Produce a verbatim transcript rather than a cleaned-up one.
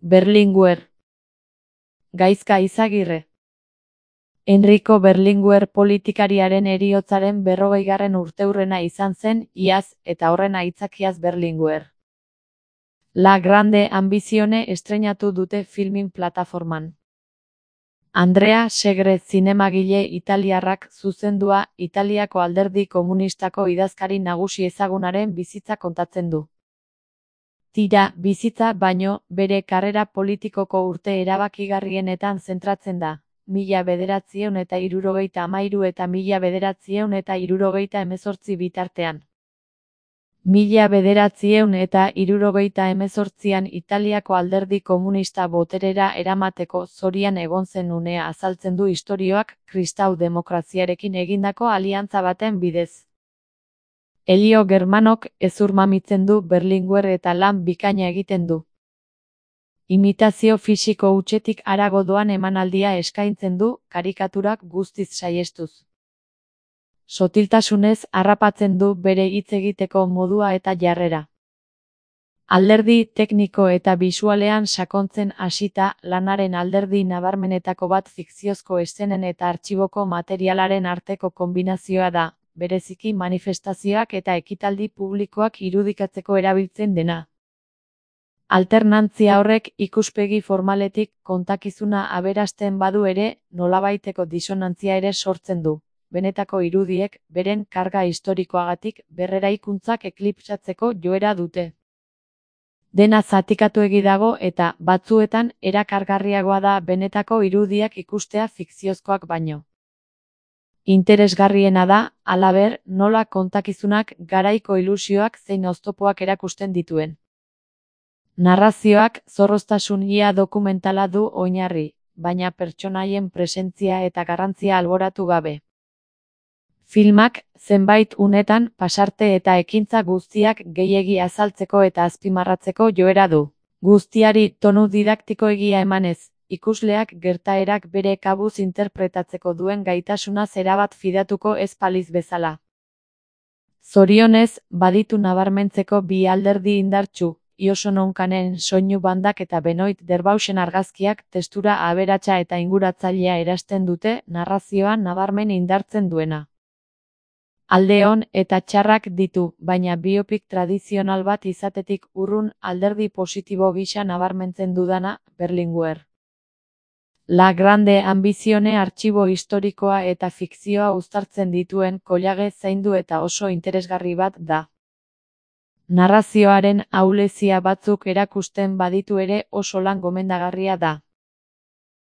Berlinguer. Gaizka Izagirre. Enrico Berlinguer politikariaren heriotzaren berrogeigarren urteurrena izan zen iaz eta horren aitzakiaz Berlinguer. La Grande Ambizione estreinatu dute filmin plataforman. Andrea Segre zinemagile italiarrak zuzendua Italiako Alderdi Komunistako idazkari nagusi ezagunaren bizitza kontatzen du. Tira, bizitza baino, bere karrera politikoko urte erabakigarrienetan zentratzen da, mila bederatziehun eta hirurogeita hamairu eta mila bederatziehun eta hirurogeita hemezortzi bitartean. Mila bederatziehun eta hirurogeita hemezortzian Italiako Alderdi Komunista boterera eramateko zorian egon zen unea azaltzen du istorioak kristau demokraziarekin egindako aliantza baten bidez. Elio Germanok ezurmamitzen du Berlinguer eta lan bikaina egiten du. Imitazio fisiko hutsetik harago doan emanaldia eskaintzen du, karikaturak guztiz saihestuz. Sotiltasunez harrapatzen du bere hitz egiteko modua eta jarrera. Alderdi tekniko eta bisualean sakontzen hasita, lanaren alderdi nabarmenetako bat fikziozko eszenen eta artxiboko materialaren arteko konbinazioa da, bereziki manifestazioak eta ekitaldi publikoak irudikatzeko erabiltzen dena. Alternantzia horrek ikuspegi formaletik kontakizuna aberasten badu ere, nolabaiteko disonantzia ere sortzen du. Benetako irudiek, beren karga historikoagatik berreraikuntzak eklipsatzeko joera dute. Dena zatikatuegi dago eta, batzuetan, erakargarriagoa da benetako irudiak ikustea fikziozkoak baino. Interesgarriena da, halaber, nola kontakizunak garaiko ilusioak zein oztopoak erakusten dituen. Narrazioak zorroztasun ia dokumentala du oinarri, baina pertsonaien presentzia eta garrantzia alboratu gabe. Filmak, zenbait unetan, pasarte eta ekintza guztiak gehiegi azaltzeko eta azpimarratzeko joera du. Guztiari tonu didaktikoegia emanez, ikusleak gertaerak bere kabuz interpretatzeko duen gaitasuna zerabat fidatuko ez paliz bezala. Zorionez, baditu nabarmentzeko bi alderdi indartsu, Ioso Nonkanen soinu bandak eta Benoit Derbausen argazkiak testura aberatsa eta inguratzailea erasten dute narrazioa nabarmen indartzen duena. Alde on eta txarrak ditu, baina biopik tradizional bat izatetik urrun alderdi positibo gisa nabarmentzen dudana, Berlinguer. La Grande Ambizione artxibo historikoa eta fikzioa uztartzen dituen kollage zaindu eta oso interesgarri bat da. Narrazioaren ahulezia batzuk erakusten baditu ere oso lan gomendagarria da.